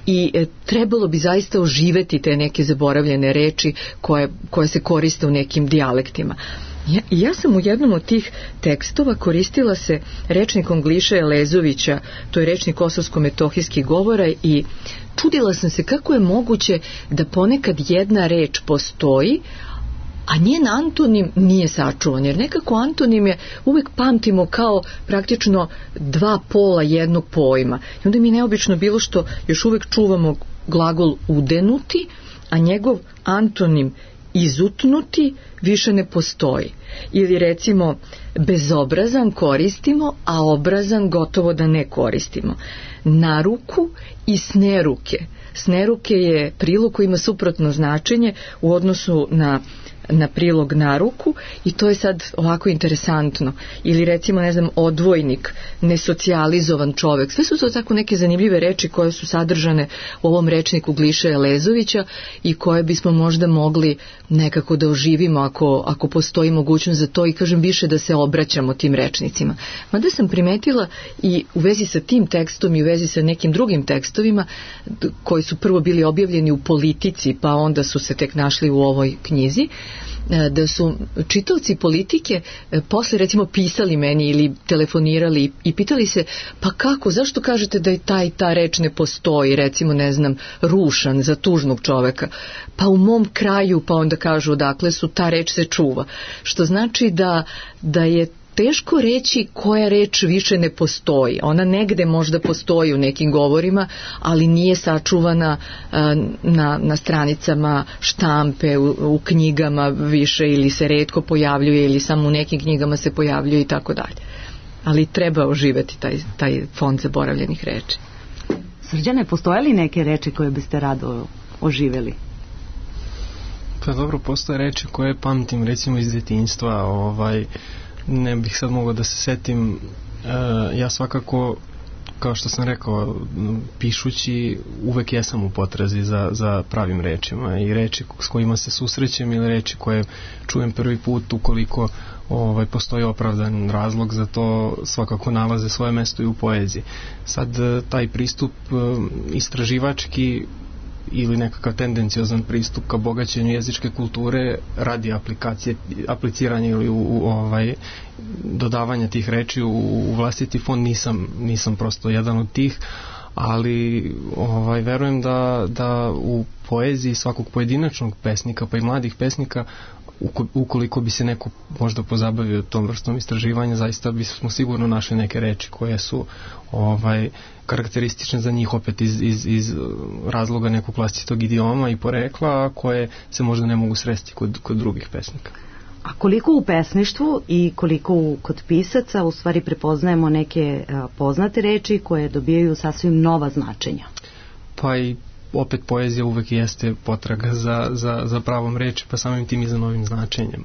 I e, trebalo bi zaista oživeti te neke zaboravljene reči koje, koje se koriste u nekim dijalektima. Ja, ja sam u jednom od tih tekstova koristila se rečnikom Gliše Elezovića, to je rečnik kosovsko-metohijskih govora, i čudila sam se kako je moguće da ponekad jedna reč postoji, a njen antonim nije sačuvan, jer nekako antonim je uvek pamtimo kao praktično dva pola jednog pojma. I onda mi je neobično bilo što još uvek čuvamo glagol udenuti, a njegov antonim izutnuti više ne postoji. Ili recimo bezobrazan koristimo, a obrazan gotovo da ne koristimo. Naruku i sneruke. Sneruke je prilog koji ima suprotno značenje u odnosu na na prilog na ruku i to je sad ovako interesantno. Ili recimo, ne znam, odvojnik, nesocijalizovan čovek. Sve su to tako neke zanimljive reči koje su sadržane u ovom rečniku Gliše Elezovića i koje bismo možda mogli nekako da oživimo ako, ako postoji mogućnost za to, i kažem više da se obraćamo tim rečnicima. Mada sam primetila i u vezi sa tim tekstom i u vezi sa nekim drugim tekstovima koji su prvo bili objavljeni u Politici, pa onda su se tek našli u ovoj knjizi, da su čitaoci Politike posle recimo pisali meni ili telefonirali i pitali se, pa kako, zašto kažete da i ta i ta reč ne postoji, recimo, ne znam, rušan za tužnog čoveka, pa u mom kraju, pa onda kažu odakle su, ta reč se čuva, što znači da, da je teško reći koja reč više ne postoji. Ona negde možda postoji u nekim govorima, ali nije sačuvana na, na stranicama štampe, u, u knjigama više, ili se retko pojavljuje, ili samo u nekim knjigama se pojavljuje i tako dalje. Ali treba oživeti taj, taj fond zaboravljenih reči. Srđane, postoje li neke reči koje biste rado oživeli? Pa dobro, postoje reči koje pamtim recimo iz djetinjstva, ovaj, ne bih sad mogao da se setim. E, ja svakako, kao što sam rekao, pišući uvek jesam u potrazi za, za pravim rečima, i reči s kojima se susrećem ili reči koje čujem prvi put, ukoliko ovaj, postoji opravdan razlog za to, svakako nalaze svoje mesto i u poeziji. Sad taj pristup istraživački ili nekakav tendenciozan pristup ka bogaćenju jezičke kulture radi aplikacije, apliciranje ili u, u ovaj dodavanja tih reči u, u vlastiti fond, nisam, nisam prosto jedan od tih, ali ovaj, verujem da, da u poeziji svakog pojedinačnog pesnika, pa i mladih pesnika, ukoliko bi se neko možda pozabavio tom vrstom istraživanja, zaista bismo sigurno našli neke reči koje su ovaj, karakteristične za njih, opet iz, iz, iz razloga nekog vlastitog idioma i porekla, a koje se možda ne mogu sresti kod, kod drugih pesnika. A koliko u pesništvu i koliko u, kod pisaca u stvari prepoznajemo neke a, poznate reči koje dobijaju sasvim nova značenja? Pa i opet poezija uvek jeste potraga za, za, za pravom reči, pa samim tim i za novim značenjem.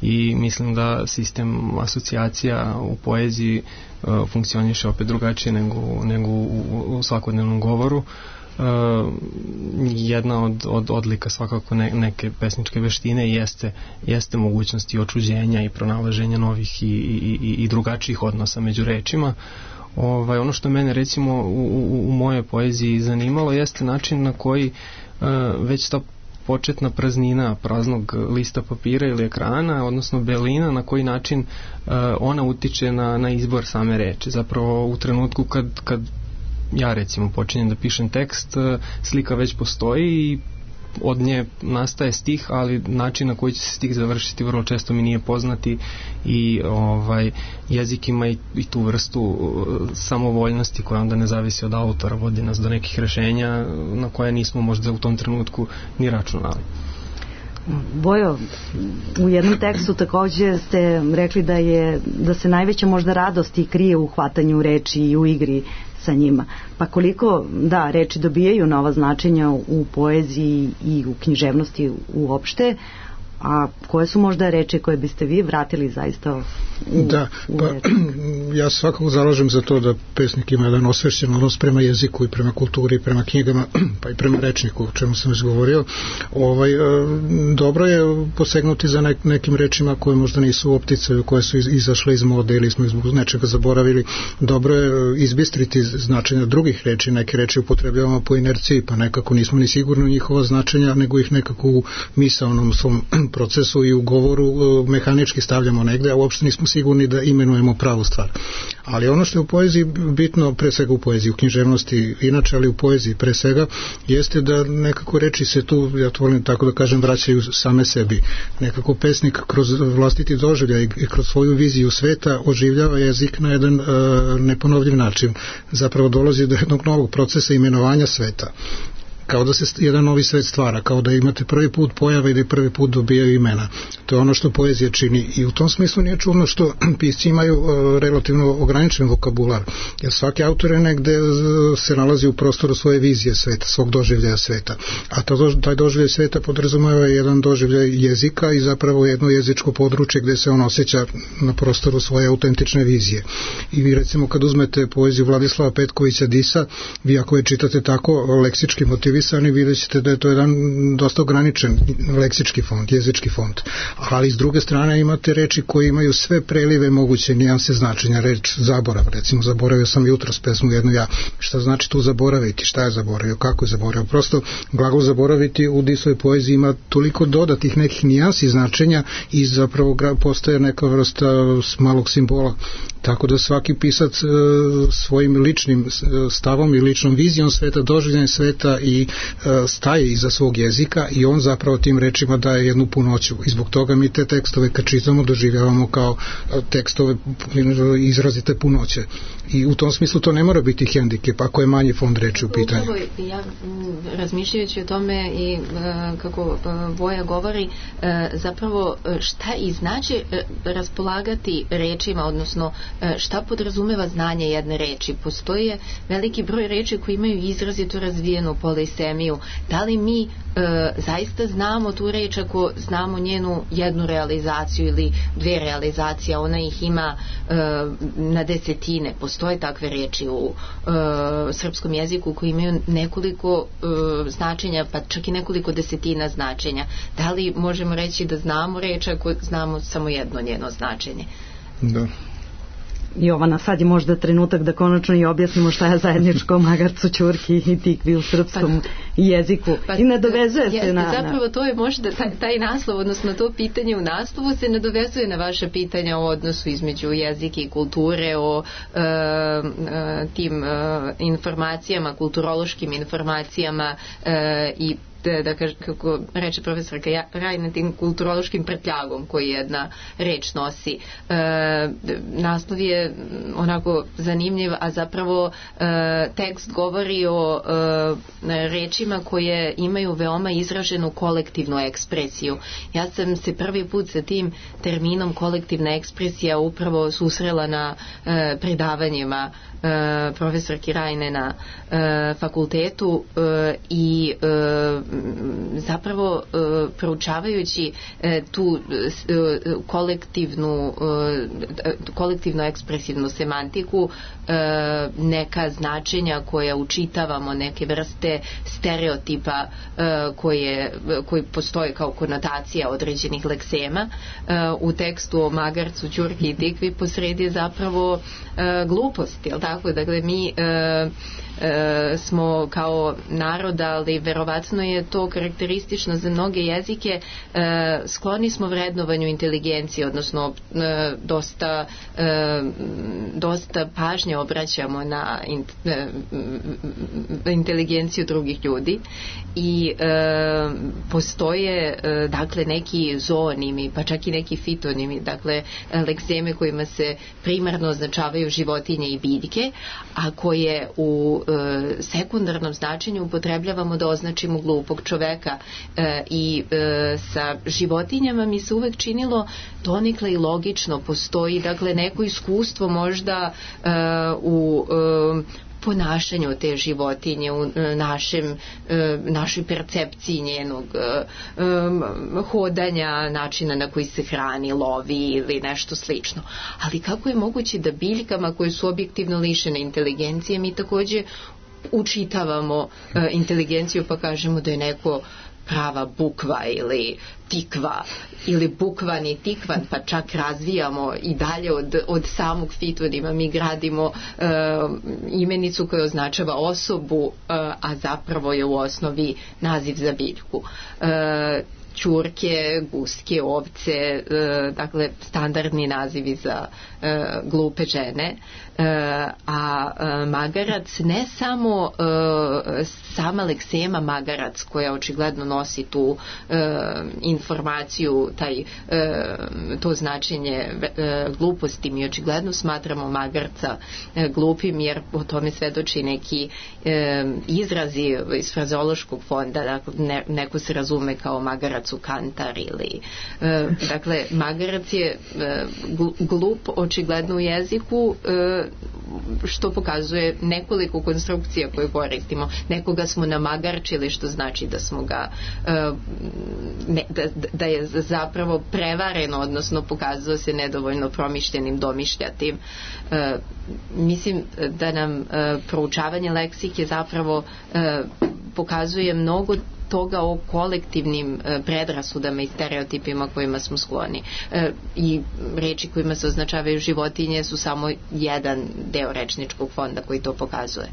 I mislim da sistem asocijacija u poeziji uh, funkcioniše opet drugačije nego, nego u, u svakodnevnom govoru. Uh, jedna od, od odlika svakako ne, neke pesničke veštine jeste, jeste mogućnosti očuđenja i pronalaženja novih i, i, i, i drugačijih odnosa među rečima. Ovaj, ono što mene recimo u, u, u mojoj poeziji zanimalo jeste način na koji uh, već ta početna praznina praznog lista papira ili ekrana, odnosno belina, na koji način uh, ona utiče na, na izbor same reči. Zapravo u trenutku kad, kad ja recimo počinjem da pišem tekst, uh, slika već postoji i od nje nastaje stih, ali način na koji će se stih završiti vrlo često mi nije poznati, i ovaj, jezik ima i, i tu vrstu uh, samovoljnosti koja onda ne zavisi od autora, vodi nas do nekih rešenja na koje nismo možda u tom trenutku ni računali. Bojo, u jednom tekstu takođe ste rekli da je da se najveća možda radost i krije u hvatanju reči i u igri sa njima. Pa koliko, da, reči dobijaju nova značenja u poeziji i u književnosti uopšte, a koje su možda reči koje biste vi vratili zaista u, da, u pa, ja svakako zalažem za to da pesnik ima jedan osvešćen odnos prema jeziku i prema kulturi, prema knjigama, pa i prema rečniku, o čemu sam već govorio. Ovaj, dobro je posegnuti za nek, nekim rečima koje možda nisu u opticaju, koje su iz, izašle iz mode ili smo zbog nečega zaboravili. Dobro je izbistriti značenja drugih reči, neke reči upotrebljavamo po inerciji, pa nekako nismo ni sigurni u njihova značenja, nego ih nekako u misaonom svom procesu i u govoru mehanički stavljamo negde, a uopšte nismo sigurni da imenujemo pravu stvar. Ali ono što je u poeziji bitno, pre svega u poeziji, u književnosti inače, ali u poeziji pre svega, jeste da nekako reči se tu, ja to volim tako da kažem, vraćaju same sebi. Nekako pesnik kroz vlastiti doživljaj i kroz svoju viziju sveta oživljava jezik na jedan uh, neponovljiv način. Zapravo dolazi do jednog novog procesa imenovanja sveta. Kao da se jedan novi svet stvara, kao da imate prvi put pojave i da prvi put dobijaju imena. To je ono što poezija čini i u tom smislu nije čudno što pisci imaju uh, relativno ograničen vokabular, jer svaki autor je negde uh, se nalazi u prostoru svoje vizije sveta, svog doživljaja sveta, a to, taj doživljaj sveta podrazumeva jedan doživljaj jezika i zapravo jedno jezičko područje gde se on osjeća na prostoru svoje autentične vizije. I vi recimo kad uzmete poeziju Vladislava Petkovića Disa, vi ako je čitate tako leksički motiv vi vidjet ćete da je to jedan dosta ograničen leksički fond, jezički fond. Ali s druge strane imate reči koje imaju sve prelive moguće nijanse značenja. Reč zaborav, recimo zaboravio sam jutros pesmu jednu ja. Šta znači tu zaboraviti? Šta je zaboravio? Kako je zaboravio? Prosto glagol zaboraviti u Disovoj poeziji ima toliko dodatih nekih nijansi značenja i zapravo postaje neka vrsta malog simbola. Tako da svaki pisac e, svojim ličnim stavom i ličnom vizijom sveta, doživljanjem sveta i e, staje iza svog jezika i on zapravo tim rečima daje jednu punoću. I zbog toga mi te tekstove kad čitamo doživljavamo kao tekstove izrazite punoće. I u tom smislu to ne mora biti hendikep ako je manji fond reči u pitanju. Upravo, ja razmišljajući o tome i e, kako Voja govori, e, zapravo šta i znači e, raspolagati rečima, odnosno šta podrazumeva znanje jedne reči. Postoje veliki broj reči koji imaju izrazito razvijenu polisemiju. Da li mi e, zaista znamo tu reč ako znamo njenu jednu realizaciju ili dve realizacije, ona ih ima e, na desetine. Postoje takve reči u e, srpskom jeziku koji imaju nekoliko e, značenja, pa čak i nekoliko desetina značenja. Da li možemo reći da znamo reč ako znamo samo jedno njeno značenje? Da. Jovana, sad je možda trenutak da konačno i objasnimo šta je zajedničko magarcu, ćurki i tikvi u srpskom pa, jeziku. Pa, I nadovezuje se na... Zapravo to je možda taj, taj naslov, odnosno to pitanje u naslovu se nadovezuje na vaše pitanja o odnosu između jezika i kulture, o e, e, tim e, informacijama, kulturološkim informacijama e, i da kaže, kako reče profesorka Rajna, tim kulturološkim prtljagom koji jedna reč nosi. E, naslov je onako zanimljiv, a zapravo e, tekst govori o e, rečima koje imaju veoma izraženu kolektivnu ekspresiju. Ja sam se prvi put sa tim terminom kolektivna ekspresija upravo susrela na e, predavanjima e, profesorki Rajne na e, fakultetu e, i e, zapravo e, proučavajući e, tu e, kolektivnu e, kolektivno ekspresivnu semantiku, e, neka značenja koja učitavamo, neke vrste stereotipa e, koje, koji postoje kao konotacija određenih leksema, e, u tekstu o magarcu, ćurki i tikvi posredi je zapravo e, glupost, jel tako? Dakle, mi e, E, smo kao narod, ali verovatno je to karakteristično za mnoge jezike, e, skloni smo vrednovanju inteligencije, odnosno e, dosta e, dosta pažnje obraćamo na in, e, inteligenciju drugih ljudi. prirodi i e, postoje e, dakle neki zoonimi, pa čak i neki fitonimi, dakle lekseme kojima se primarno označavaju životinje i biljke, a koje u e, sekundarnom značenju upotrebljavamo da označimo glupog čoveka e, i e, sa životinjama mi se uvek činilo donekle i logično, postoji dakle neko iskustvo možda e, u e, ponašanju te životinje, u našem, našoj percepciji njenog hodanja, načina na koji se hrani, lovi ili nešto slično. Ali kako je moguće da biljkama koje su objektivno lišene inteligencije mi takođe učitavamo inteligenciju pa kažemo da je neko prava bukva ili tikva ili bukvan i tikvan, pa čak razvijamo i dalje od, od samog fitonima, mi gradimo e, imenicu koja označava osobu, e, a zapravo je u osnovi naziv za biljku. E, ćurke, guske, ovce, e, dakle standardni nazivi za e, glupe žene, e, a e, magarac ne samo e, sama leksema magarac koja očigledno nosi tu e, informaciju, taj, e, to značenje e, gluposti, mi očigledno smatramo magarca e, glupim jer o tome svedoči neki e, izrazi iz frazeološkog fonda, dakle, ne, neko se razume kao magarac u kantar ili e, dakle magarac je e, glup očigledno u jeziku e, što pokazuje nekoliko konstrukcija koje koristimo. Nekoga smo namagarčili što znači da smo ga e, ne, da, da je zapravo prevareno, odnosno pokazao se nedovoljno promišljenim, domišljatim. E, mislim da nam e, proučavanje leksike zapravo e, pokazuje mnogo toga o kolektivnim e, predrasudama i stereotipima kojima smo skloni. E, I reči kojima se označavaju životinje su samo jedan deo rečničkog fonda koji to pokazuje.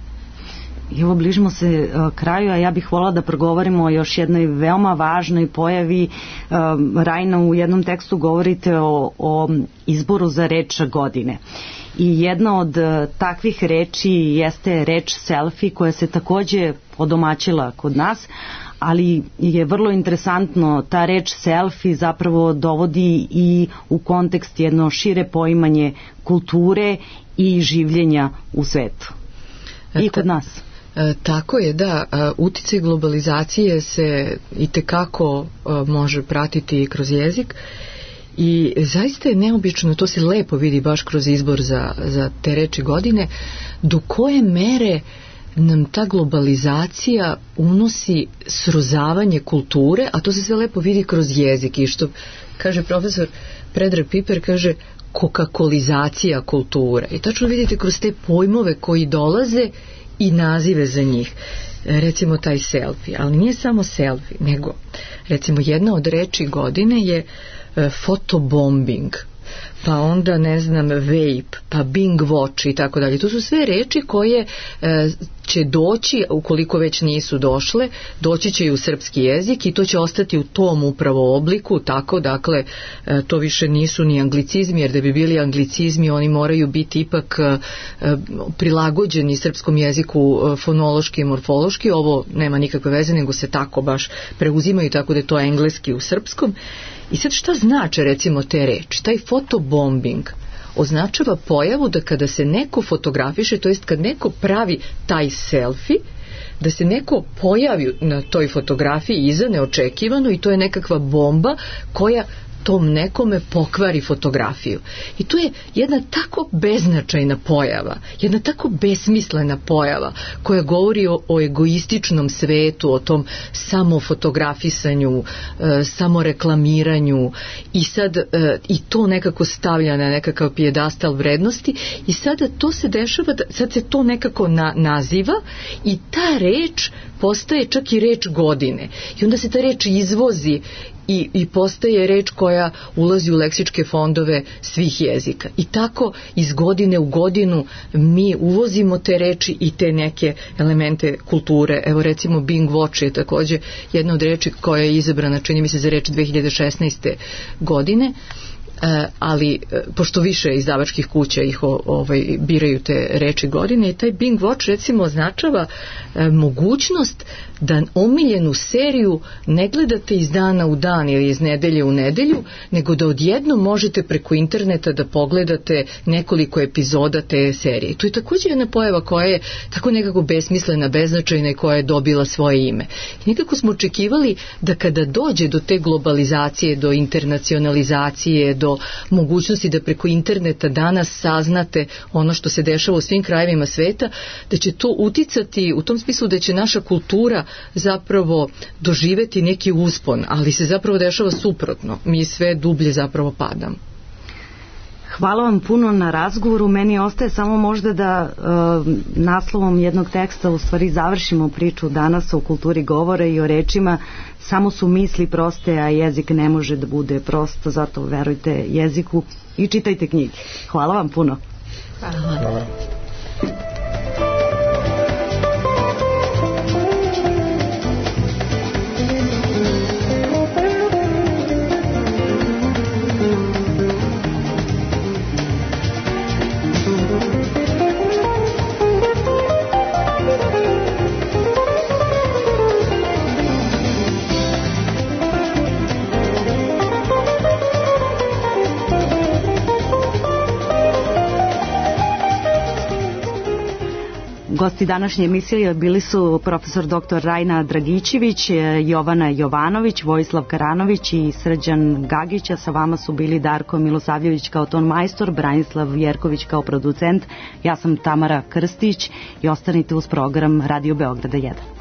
I ovo bližimo se uh, kraju, a ja bih volala da progovorimo o još jednoj veoma važnoj pojavi. Uh, Rajna, u jednom tekstu govorite o, o izboru za reč godine. I jedna od uh, takvih reči jeste reč selfie koja se takođe odomaćila kod nas, ali je vrlo interesantno, ta reč selfie zapravo dovodi i u kontekst jedno šire poimanje kulture i življenja u svetu. I kod nas. E, tako je, da, uticaj globalizacije se itekako može pratiti kroz jezik i zaista je neobično, to se lepo vidi baš kroz izbor za, za te reči godine, do koje mere nam ta globalizacija unosi srozavanje kulture, a to se sve lepo vidi kroz jezik i što kaže profesor Predrag Piper, kaže kokakolizacija kulture. I tačno vidite kroz te pojmove koji dolaze i nazive za njih. Recimo taj selfie, ali nije samo selfie, nego recimo jedna od reči godine je fotobombing, pa onda ne znam vape, pa bing watch i tako dalje. To su sve reči koje e, će doći, ukoliko već nisu došle, doći će i u srpski jezik i to će ostati u tom upravo obliku, tako dakle e, to više nisu ni anglicizmi, jer da bi bili anglicizmi oni moraju biti ipak e, prilagođeni srpskom jeziku e, fonološki i morfološki. Ovo nema nikakve veze, nego se tako baš preuzimaju, tako da je to engleski u srpskom. I sad šta znače recimo te reči? Taj fotobombing označava pojavu da kada se neko fotografiše, to jest kad neko pravi taj selfie, da se neko pojavi na toj fotografiji iza neočekivano i to je nekakva bomba koja tom nekome pokvari fotografiju. I to je jedna tako beznačajna pojava, jedna tako besmislena pojava koja govori o, o egoističnom svetu, o tom samofotografisanju, e, samoreklamiranju i sad e, i to nekako stavlja na nekakav pijedastal vrednosti i sada to se dešava, da, sad se to nekako na, naziva i ta reč postaje čak i reč godine. I onda se ta reč izvozi i, i postaje reč koja ulazi u leksičke fondove svih jezika. I tako iz godine u godinu mi uvozimo te reči i te neke elemente kulture. Evo recimo Bing Watch je takođe jedna od reči koja je izabrana, čini mi se, za reč dve hiljade šesnaeste godine. ali pošto više izdavačkih kuća ih ovaj, biraju te reči godine i taj Bing Watch recimo označava mogućnost da omiljenu seriju ne gledate iz dana u dan ili iz nedelje u nedelju, nego da odjednom možete preko interneta da pogledate nekoliko epizoda te serije. To je također jedna pojava koja je tako nekako besmislena, beznačajna i koja je dobila svoje ime. I nekako smo očekivali da kada dođe do te globalizacije, do internacionalizacije, do mogućnosti da preko interneta danas saznate ono što se dešava u svim krajevima sveta, da će to uticati u tom smislu da će naša kultura zapravo doživeti neki uspon, ali se zapravo dešava suprotno. Mi sve dublje zapravo padamo. Hvala vam puno na razgovoru. Meni ostaje samo možda da e, naslovom jednog teksta u stvari završimo priču danas o kulturi govora i o rečima. Samo su misli proste, a jezik ne može da bude prost, zato verujte jeziku i čitajte knjige. Hvala vam puno. Hvala. Hvala. Gosti današnje emisije bili su profesor doktor Rajna Dragićević, Jovana Jovanović, Vojislav Karanović i Srđan Gagić, a sa vama su bili Darko Milosavljević kao ton majstor, Branislav Jerković kao producent, ja sam Tamara Krstić i ostanite uz program Radio Beograda jedan.